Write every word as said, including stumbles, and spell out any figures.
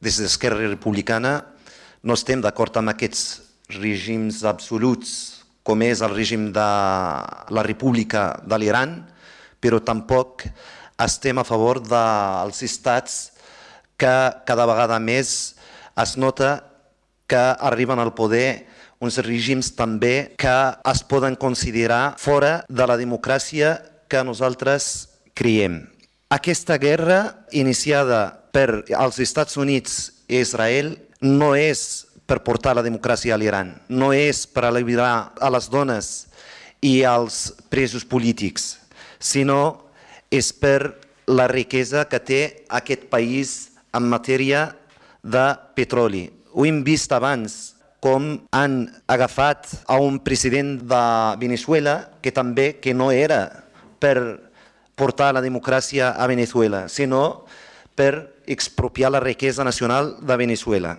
des d'Esquerra Republicana no estem d'acord amb aquests règims absoluts com és el règim de la República de l'Iran, però tampoc estem a favor dels estats que cada vegada més es nota que arriben al poder uns règims també que es poden considerar fora de la democràcia que nosaltres creiem. Aquesta guerra iniciada per els Estats Units i Israel no és per portar la democràcia a l'Iran, no és per alliberar a les dones i als presos polítics, sinó és per la riquesa que té aquest país en matèria de petroli. Ho hem vist abans, com han agafat a un president de Venezuela que també que no era per portar la democràcia a Venezuela, sinó per expropiar la riquesa nacional de Venezuela.